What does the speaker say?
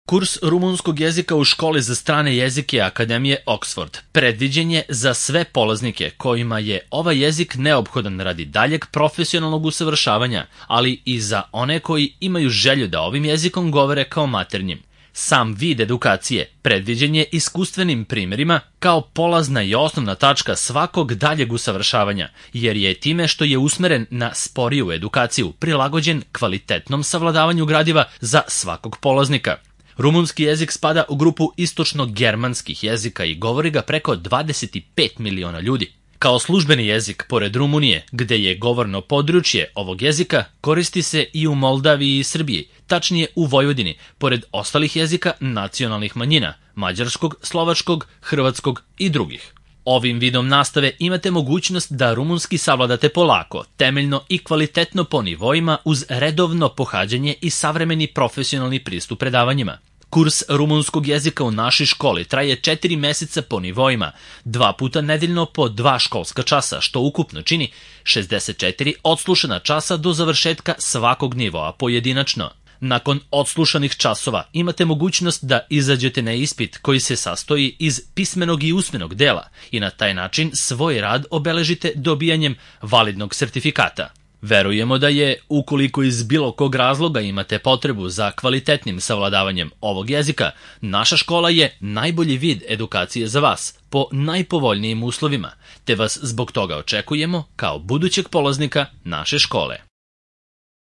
Kurs rumunskog jezika u školi za strane jezike Akademije Oxford predviđen je za sve polaznike kojima je ovaj jezik neophodan radi daljeg profesionalnog usavršavanja, ali i za one koji imaju želju da ovim jezikom govore kao maternjim. Sam vid edukacije predviđen je iskustvenim primjerima kao polazna i osnovna tačka svakog daljeg usavršavanja, jer je time što je usmeren na sporiju edukaciju prilagođen kvalitetnom savladavanju gradiva za svakog polaznika. Rumunski jezik spada u grupu istočno-germanskih jezika i govori ga preko 25 miliona ljudi. Kao službeni jezik, pored Rumunije, gde je govorno područje ovog jezika, koristi se i u Moldaviji i Srbiji, tačnije u Vojvodini, pored ostalih jezika nacionalnih manjina, mađarskog, slovačkog, hrvatskog i drugih. Ovim vidom nastave imate mogućnost da rumunski savladate polako, temeljno i kvalitetno po nivoima uz redovno pohađanje i savremeni profesionalni pristup predavanjima. Kurs rumunskog jezika u našoj školi traje 4 meseca po nivoima, 2 puta nedeljno po 2 školska časa, što ukupno čini 64 odslušana časa do završetka svakog nivoa pojedinačno. Nakon odslušanih časova imate mogućnost da izađete na ispit koji se sastoji iz pismenog i usmenog dela i na taj način svoj rad obeležite dobijanjem validnog sertifikata. Verujemo da je, ukoliko iz bilo kog razloga imate potrebu za kvalitetnim savladavanjem ovog jezika, naša škola je najbolji vid edukacije za vas po najpovoljnijim uslovima, te vas zbog toga očekujemo kao budućeg polaznika naše škole.